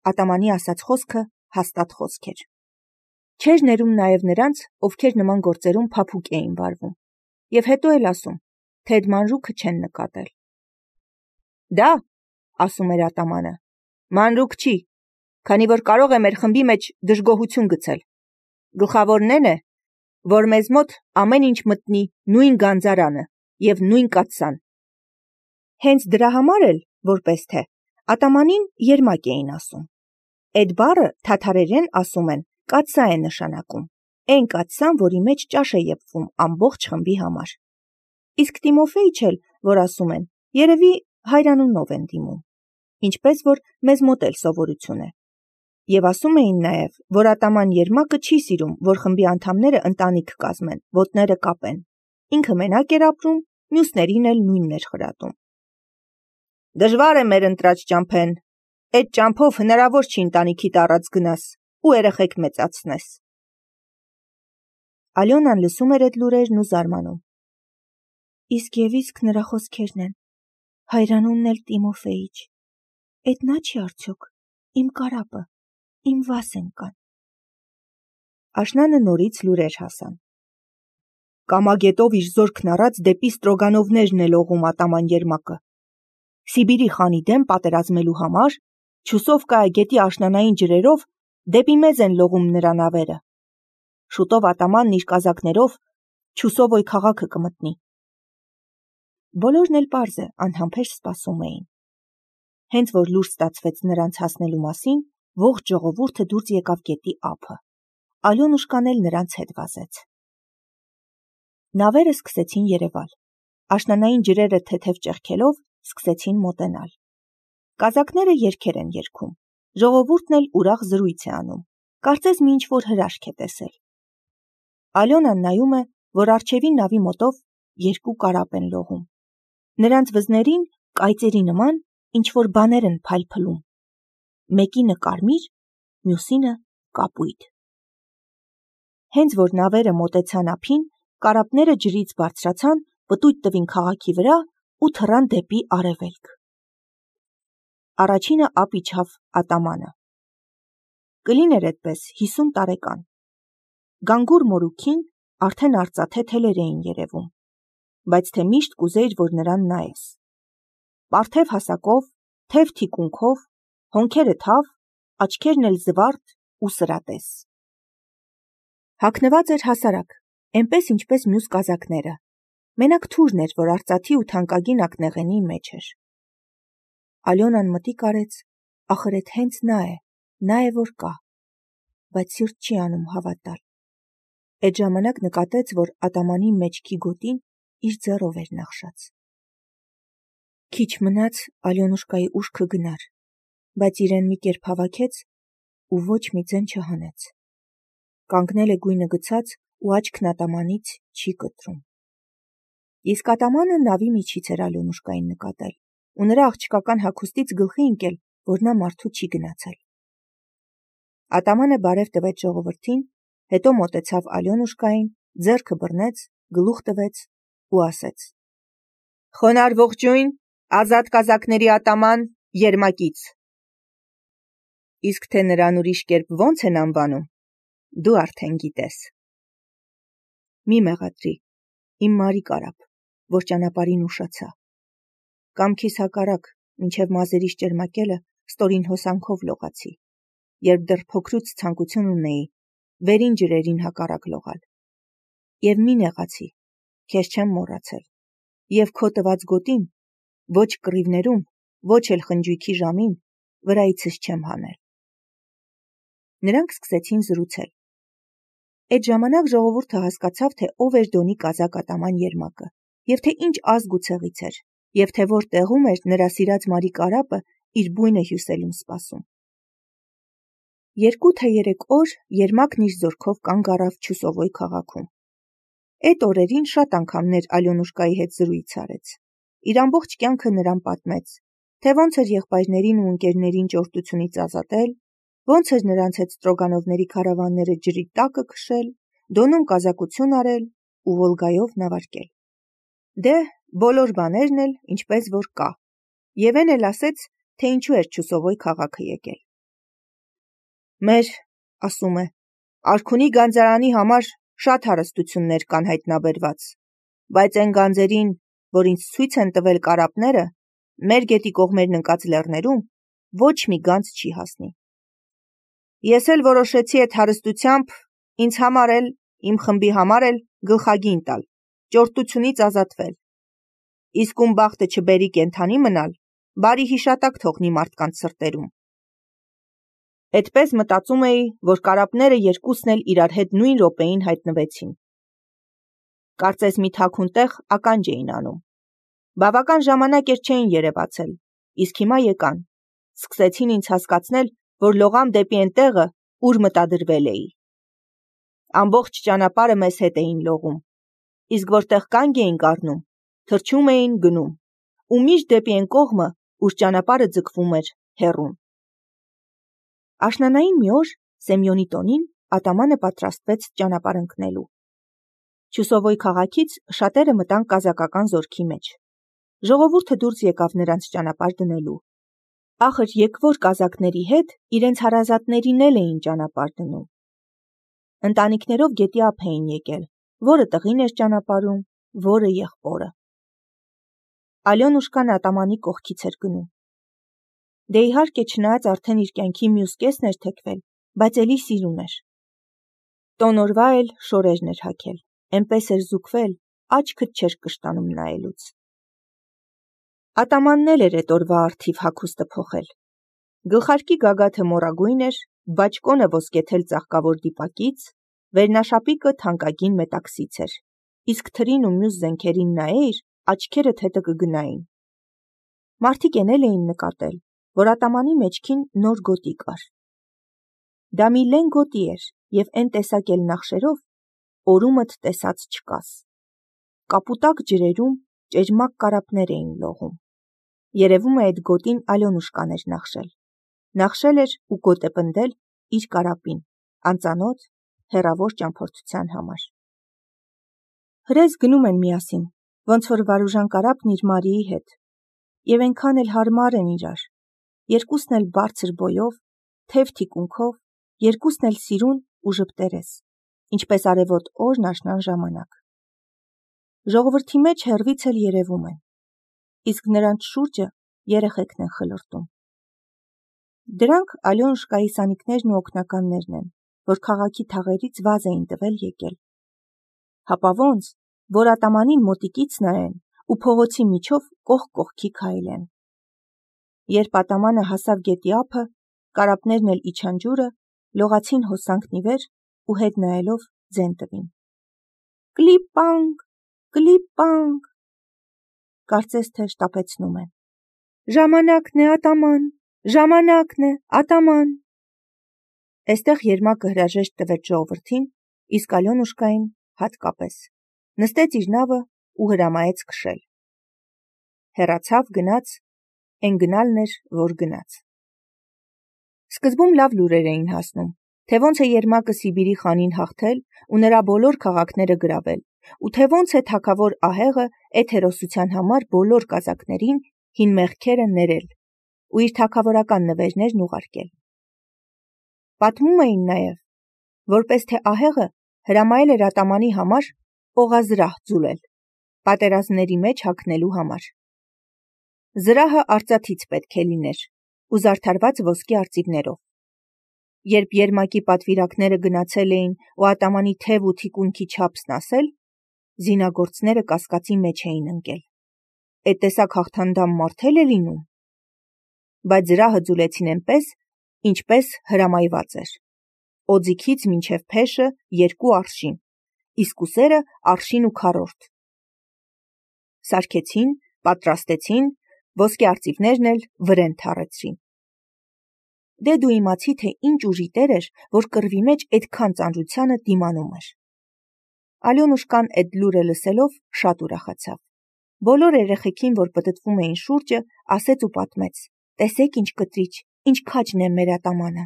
Ատամանի ասած խոսքը հաստատ խոսք էր։ Չէր ներում նաև նրանց, ովքեր նման գործերում փափուկ էին վարվում, և հետո էլ ասում, թե այդ մանրուքը չեն նկատել։ Դա, ասում էր ատամանը, մանրուք չի, քանի որ կարող է մեր խմբի մեջ դժգոհություն գցել։ Գլխավորն էն է, որ մեզ մոտ ամեն ինչ մտնի նույն գանձարանը և նույն կաթսան։ Հենց դրա համար էլ, որպես թե, ատամանին երմակ էին ասում։ Այդ բառը թաթարերեն ասում են կաթսա է նշանակում, այն կաթսան, որի մեջ ճաշ է եփվում ամբողջ խմբի համար։ Իսկ Տիմոֆեիչ էլ, որ ասում են, երևի հայրանունով են դիմում, ինչպես որ մեզ մոտ էլ սովորություն է։ Եվ ասում էին նաև, որ ատաման Երմակը չի սիրում, որ խմբի անդամները ընտանիք կազմեն, ոտները կապեն։ Ինքը մենակ էր ապրում, մյուսներին էլ նույնն էր խրատում։ Դժվար է մեր ընտրած ճամփեն, այդ ճամփով հնարավոր չի ընտանիքիդ առած գնաս ու երեխեք մեծացնես։ Ալյոնան լսում էր այդ լուրերն ու զարմանում։ Իսկ և իսկ նրա խոսքերն են, հայրանունն էլ Տիմոֆեիչ, էդ նա չի արդյոք, իմ կարապը, իմ Վասենկան։ Աշնանը նորից լուրեր հասան։ Կամագետով իր զորքն առած դեպի Ստրոգանովներն է լողում ատաման Երմակը։ Սիբիրի խանի դեմ պատերազմելու համար Չուսովկայի գետի աշնանային ջրերով դեպի մեզ են լողում նրա նավերը։ Շուտով ատամանն իր կազակներով Չուսովոյ քաղաքը կմտնի։ Բոլորն էլ պարզ է, անհամբեր սպասում էին։ Հենց որ լուր ստացվեց նրանց հասնելու մասին, ողջ ժողովուրդը դուրս եկավ գետի ափը։ Ալյոնուշկան էլ նրանց հետ վազեց։ Նավերը սկսեցին երևալ։ Աշնանային ջրերը թեթև ճեղքելով սկսեցին մոտենալ։ Կազակները երգեր են երգում։ Ժողովուրդն էլ ուրախ զրույց է անում։ Կարծես մի ինչ-որ հրաշք է տեսել։ Ալյոնան նայում է, որ առջևի նավի մոտով երկու կարապ են լողում։ Նրանց վզներին կայծերի նման ինչ-որ բաներ են փայլփլում։ Մեկինը կարմիր, մյուսինը կապույտ։ Հենց որ նավերը մոտեցան ափին, կարապները ջրից բարձրացան, պտույտ տվին քաղաքի վրա ու թռան դեպի արևելք։ Առաջինը ափ իջավ ատամանը։ Կլիներ այդպես 50 տարեկան։ Գանգուր մորուքին արդեն արծաթե թելեր էին երևում, բայց թե միշտ կուզեիր, որ նրան նայես։ Պարթև հասակով, թև թիկունքով, հոնքերը թավ, աչքերն էլ զվարթ ու սրատես։ Հագնված էր հասարակ, այնպես ինչպես մյուս կազակները։ Մենակ թուրն էր, որ արծաթի ու թանկագին ակնեղենի մեջ էր։ Ալյոնան մտիկ արեց, ախր էդ հենց նա է, որ կա, բայց սիրտ չի անում հավատալ։ Այդ ժամանակ նկատեց, որ ատամանի մեջքի գոտին իր ձեռով էր նախշած։ Քիչ մնաց Ալյոնուշկայի ուշքը գնար, բայց իրեն մի կերպ հավաքեց ու ոչ մի ձեն չհանեց։ Կանգնել է գույնը գցած ու աչքն ատամանից չի կտրում։ Իսկ ատամանը նավի միջից էր Ալյոնուշկային նկատել ու նրա աղջկական հագուստից գլխի ընկել, որ նա մարդու չի գնացել։ Ատամանը բարև տվեց ժողովրդին, հետո մոտեցավ Ալյոնուշկային, ձեռքը բռնեց, գլուխ տվեց ու ասեց. Խոնարհ ողջույն, ազատ կազակների ատաման Երմակից։ Իսկ թե նրան ուրիշ կերպ ո՞նց են անվանում, դու արդեն գիտես։ Մի մեղադրի, իմ մարի կարապ, որ ճանապարհին ուշացա։ Կամքիս հակառակ, մինչև մազերիս ճերմակելը ստորին հոսանքով լողացի, երբ դեռ փոքրուց ցանկություն ունեի վերին ջրերին հակառակ լողալ։ Եվ մի նեղացի, քեզ չեմ մոռացել, և քո տված գոտին, ոչ կռիվներում, ոչ էլ խնջույքի ժամին, վրայիցս չեմ հանել։ Նրանք սկսեցին զրուցել։ Այդ ժամանակ ժողովուրդը հասկացավ, թե ով էր Դոնի կազակ ատաման Երմակը, և թե ինչ ազգ ու ցեղից էր, և թե որ տեղում էր նրա սիրած մարի կարապը իր բույնը հյուսելուն սպասում։ 2 թե 3 օր Երմակն իր զորքով կանգ առավ Չուսովոյ քաղաքում։ Այդ օրերին շատ անգամներ Ալյոնուշկայի հետ զրույց արեց։ Իր ամբողջ կյանքը նրան պատմեց, թե ոնց էր եղբայրներին ու ընկերներին ճորտությունից ազատել, ոնց էր նրանց հետ Ստրոգանովների քարավանները ջրի տակը քշել, Դոնում կազակություն արել ու Վոլգայով նավարկել։ Դե, բոլոր բաներն էլ ինչպես որ կա, և էն էլ ասեց, թե ինչու էր Չուսովոյ քաղաքը եկել։ Մեր, ասում է, արքունի գանձարանի համար շատ հարստություններ կան հայտնաբերված, բայց այն գանձերին, որ ինձ ցույց են տվել կարապները, մեր գետի կողմերն ընկած լեռներում ոչ մի գանձ չի հասնի։ Ես էլ որոշեցի այդ հարստությամբ ինձ համար էլ, իմ խմբի համար էլ գլխագին տալ, ճորտությունից ազատվել։ Իսկ ում բախտը չբերի կենդանի մնալ, բարի հիշատակ թողնի մարդկանց սրտերում։ Այդպես մտածում էի, որ կարապները երկուսն էլ իրար հետ նույն րոպեին հայտնվեցին։ Կարծես մի թաքուն տեղ ականջ էին անում։ Բավական ժամանակ էր չէին երևացել, իսկ հիմա եկան, սկսեցին ինձ հասկացնել, որ լողամ դեպի այն տեղը, ուր մտադրվել էի։ Ամբողջ ճանապարհը մեզ հետ էին լողում, իսկ որտեղ կանգ էինք առնում, թռչում էին գնում, ու միշտ դեպի այն կողմը, ուր ճանապարհը ձգվում էր հեռուն։ Աշնանային մի օր Սեմյոնի տոնին ատամանը պատրաստվեց ճանապարհ ընկնելու։ Չուսովոյ քաղաքից շատերը մտան կազակական զորքի մեջ։ Ժողովուրդը դուրս եկավ նրանց ճանապարհ դնելու։ Ախր եկվոր կազակների հետ իրենց հարազատներին էլ էին ճանապարհ դնում։ Ընտանիքներով գետի ափ էին եկել, որը տղին էր ճանապարհում, որը եղբորը։ Ալյոնուշկան ատամանի կողքից էր գնում։ Դե իհարկե չնայած արդեն իր կյանքի մյուս կեսն էր թեքվել, բայց էլի սիրուն էր։ Տոն օրվա էլ շորերն էր հագել, էնպես էր զուգվել, աչքդ չէր կշտանում նայելուց։ Ատամանն էլ էր էդ օրվա առթիվ հագուստը փոխել։ Գլխարկի գագաթը մորագույն էր, բաճկոնը ոսկեթել ծաղկավոր դիպակից, վերնաշապիկը թանկագին մետաքսից էր, իսկ թրին ու մյուս զենքերին նայեիր, աչքերդ հետը կգնային։ Մարդիկ էնել էին նկատել, որ ատամանի մեջքին նոր գոտի կար։ Դա մի լեն գոտի էր և էն տեսակ էլ նախշերով, օրումդ տեսած չկաս։ Կապուտակ ջրերում ճեճմակ կարապներ էին լողում։ Երևում է այդ գոտին Ալյոնուշկան էր նախշել։ Նախշել էր ու գոտ է պնդել իր կարապին, անծանոթ, հեռավոր ճամփորդության համար։ Հրես գնում են միասին, ոնց որ Վարուժան կարապն իր Մարիի հետ, և այնքան էլ հարմար են իրար, երկուսն էլ բարձր բոյով, թև թիկունքով, երկուսն էլ սիրուն ու ժպտերես, ինչպես արևոտ օրն աշնան ժամանակ։ Ժողովրդի մեջ հեռվից էլ երևում են, իսկ նրանց շուրջը երեխեքն են խլրտում։ Դրանք Ալյոնուշկայի սանիկներն ու օգնականներն են, որ քաղաքի թաղերից վազ էին տվել եկել։ Հապա ոնց, որ ատամանին մոտիկից նայեն ու փողոցի միջով կողք կողքի քայլեն։ Երբ ատամանը հասավ գետի ափը, կարապներն էլ իջան ջուրը, լողացին հոսանքն ի վեր ու հետ նայելով ձեն տվին։ Կլիպ-պանկ, կլիպ-պանկ, կարծես թե շտապեցնում են։ Ժամանակն է, ատաման, ժամանակն է, ատաման։ Էստեղ Երմակը հրաժեշտ տվեց ժողովրդին, իսկ Ալյոնուշկային հատկապես։ Նստեց իր նավը ու հրամայեց քշել։ Հեռացավ, գնաց, էն գնալն էր, որ գնաց։ Սկզբում լավ լուրեր էին հասնում, թե ոնց է Երմակը Սիբիրի խանին հաղթել ու նրա բոլոր քաղաքները գրավել, ու թե ոնց է թագավոր ահեղը այդ հերոսության համար բոլոր կազակներին հին մեղքերը ներել ու իր թագավորական նվերներն ուղարկել։ Պատմում էին նաև, որպես թե ահեղը հրամայել էր ատամանի համար օղազրահ ձուլել, պատերազմների մեջ հագնելու համար։ Զրահը արծաթից պետք է լիներ ու զարդարված ոսկի արծիվներով։ Երբ Երմակի պատվիրակները գնացել էին ու ատամանի թև ու թիկունքի չափսն ասել, զինագործները կասկածի մեջ էին ընկել։ Այդ տեսակ հաղթանդամ մարդ էլ է լինում։ Բայց զրահը ձուլեցին այնպես, ինչպես հրամայված էր։ Օձիքից մինչև փեշը 2 արշին, իսկ ուսերը արշին ու քառորդ։ Սարքեցին, պատրաստեցին, ոսկե արծիվներն էլ վրեն թառեցրին։ Դե դու իմացի, թե ինչ ուժի տեր էր, որ կռվի մեջ այդքան ծանրությանը դիմանում էր։ Ալյոնուշկան այդ լուրը լսելով շատ ուրախացավ։ Բոլոր երեխեքին, որ պտտվում էին շուրջը, ասեց ու պատմեց. տեսեք ինչ կտրիչ, ինչ քաջն է մեր ատամանը։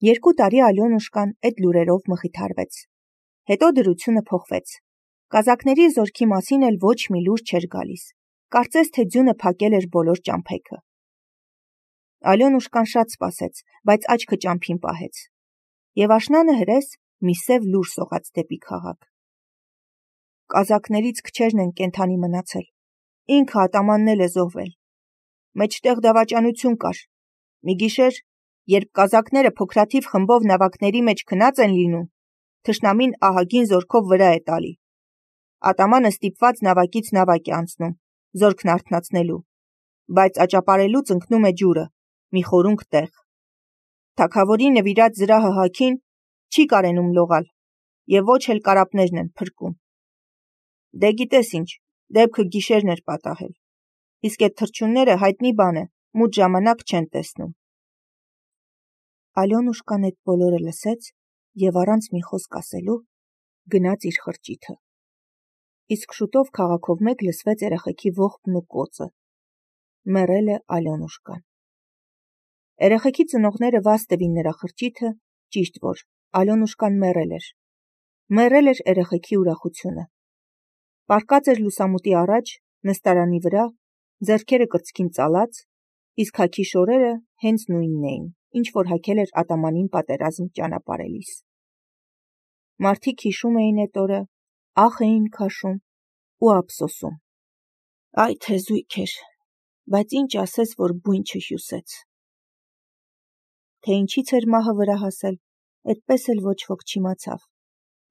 2 տարի Ալյոնուշկան այդ լուրերով մխիթարվեց։ Հետո դրությունը փոխվեց։ Կազակների զորքի մասին էլ ոչ մի լուր չէր գալիս։ Կարծես թե ձյունը փակել էր բոլոր ճամփեքը։ Ալյոնուշկան շատ սպասեց, բայց աչքը ճամփին պահեց, եւ աշնանը հրես մի սև լուր սողաց դեպի քաղաք. Կազակներից քչերն են կենդանի մնացել, ինքը ատամանն էլ է զոհվել, մեջտեղ դավաճանություն կար, մի գիշեր, երբ կազակները փոքրաթիվ խմբով նավակների մեջ քնած են լինում, թշնամին ահագին զորքով վրա է տալի, ատամանը ստիպված նավակից նավակ է անցնում, զորքն արթնացնելու, բայց աճապարելուց ընկնում է ջուրը, մի խորունկ տեղ, թագավորի նվիրած զրահը հագին չի կարենում լողալ, եւ ոչ էլ կարապներն են փրկում, դե գիտես ինչ, դեպքը գիշերն էր պատահել, իսկ այդ թռչունները հայտնի բան է, մութ ժամանակ չեն տեսնում։ Ալյոնուշկան այդ բոլորը լսեց եւ առանց մի խոսք ասելու գնաց իր խրճիթը։ Իսկ շուտով քաղաքով մեկ լսվեց երեխեքի ողբն ու կոծը։ Մեռել է Ալյոնուշկան։ Երեխեքի ծնողները վազ տվին նրա խրճիթը, ճիշտ որ Ալյոնուշկան մեռել էր։ Մեռել էր երեխեքի ուրախությունը։ Պառկած էր լուսամուտի առաջ, նստարանի վրա, ձեռքերը կրծքին ծալած, իսկ հագի շորերը հենց նույնն էին, ինչ որ հագել էր ատամանին պատերազմ ճանապարհելիս։ Մարդիկ հիշում էին այդ օրը, ախ էին քաշում ու ափսոսում։ Այ թե զույգ էր, բայց ինչ ասես, որ բույն չհյուսեց։ Թե ինչից էր մահը վրա հասել, այդպես էլ ոչ ոք չիմացավ,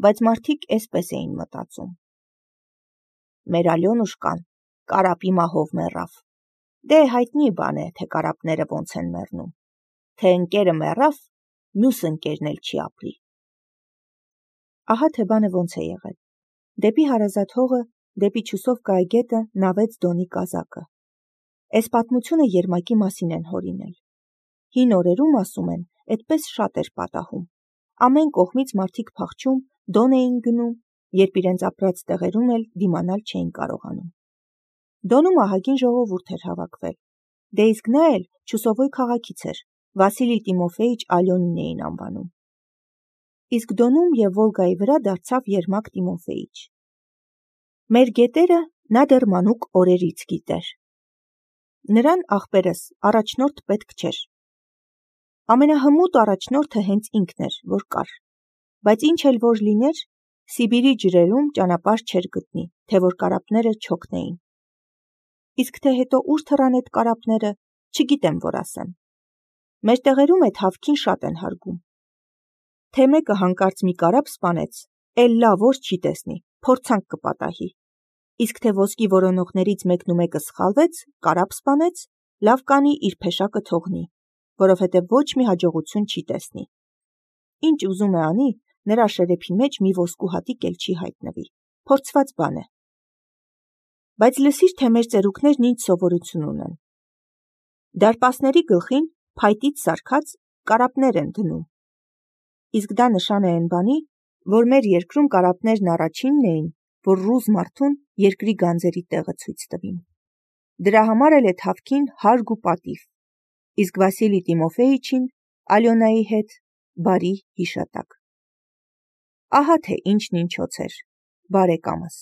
բայց մարդիկ էսպես էին մտածում։ Մեր Ալյոնուշկան կարապի մահով մեռավ։ Դե հայտնի բան է, թե կարապները ոնց են մեռնում։ Թե ընկերը մեռավ, մյուս ընկերն էլ չի ապրի։ Ահա թե բանը ոնց է եղել։ Դեպի հարազատ հողը, դեպի Չուսով Կայգետը նավեց Դոնի կազակը։ Այս պատմությունը Երմակի մասին են հորինել։ Հին օրերում, ասում են, այդպես շատ էր պատահում։ Ամեն կողմից մարդիկ փախչում, Դոն էին գնում, երբ իրենց ապրած տեղերում էլ դիմանալ չէին կարողանում։ Դոնում ահագին ժողովուրդ էր հավաքվել։ Դե իսկ նա էլ Չուսովոյ քաղաքից էր, Վասիլի Տիմոֆեիչ Ալյոնին էին անվանում։ Իսկ Դոնում եւ Վոլգայի վրա դարձավ Երմակ Տիմոֆեիչ։ Մեր գետերը նա դեռ մանուկ օրերից գիտեր։ Նրան աղբերս առաջնորդ պետք չէր։ Ամենահմուտ առաջնորդը հենց ինքն էր, որ կար, բայց ինչ էլ որ լիներ, Սիբիրի ջրերում ճանապարհ չէր գտնի, թե որ կարապները չօգնեին։ Իսկ թե հետո ուր թռան այդ կարապները, չգիտեմ որ ասեմ։ Մեր տեղերում այդ հավքին շատ են հարգում։ Թե մեկը հանկարծ մի կարապ սպանեց, էլ լավ որ չի տեսնի, փորձանք կպատահի։ Իսկ թե ոսկի որոնողներից մեկն ու մեկը սխալվեց, կարապ սպանեց, լավ կանի իր փեշակը թողնի, որովհետև ոչ մի հաջողություն չի տեսնի։ Ինչ ուզում է անի, նրա շերեփի մեջ մի ոսկու հատիկ էլ չի հայտնվի, փորձված բան է։ Բայց լսիր, թե մեր ծերուկներն ինչ սովորություն ունեն։ Դարպասների գլխին փայտից սարքած կարապներ են դնում։ Իսկ դա նշան է այն բանի, որ մեր երկրում կարապներն առաջինն էին, որ ռուս մարդուն երկրի գանձերի տեղը ցույց տվին։ Դրա համար էլ է հավքին հարգ ու պատիվ, իսկ Վասիլի Տիմոֆեիչին Ալյոնայի հետ բարի հիշատակ։ Ահա թե ինչն ինչոց էր, բարեկամս։